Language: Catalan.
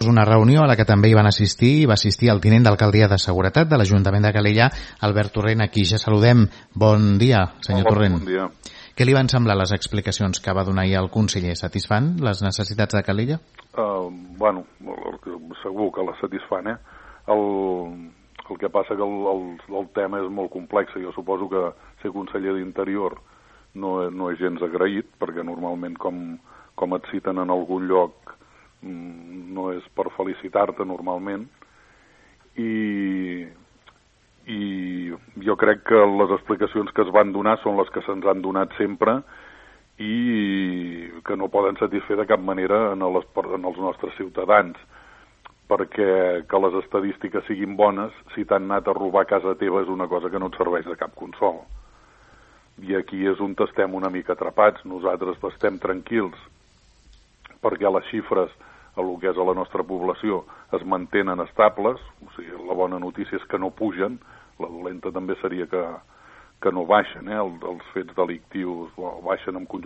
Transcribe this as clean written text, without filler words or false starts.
dijous una reunió a la que també hi van assistir, va assistir el tinent d'alcaldia de Seguretat de l'Ajuntament de Calella, Albert Torrent, aquí ja saludem. Bon dia, senyor Torrent. Bon dia. Què li van semblar les explicacions que va donar ahir el conseller? Satisfan les necessitats de Calella? Bueno, segur que les satisfan, eh? El que passa que el tema és molt complex. Jo suposo que ser conseller d'Interior no és gens agraït, perquè normalment com et citen en algun lloc no és per felicitar-te normalment, i jo crec que les explicacions que es van donar són les que se'ns han donat sempre i que no poden satisfer de cap manera en els nostres ciutadans, perquè que les estadístiques siguin bones, si t'han anat a robar a casa teva és una cosa que no et serveix de cap consol. I aquí és on estem una mica atrapats. Nosaltres estem tranquils perquè les xifres a el que és a la nostra població es mantenen estables, o sigui, la bona notícia és que no pugen, la dolenta també seria que no baixen, els fets delictius baixen en conjunt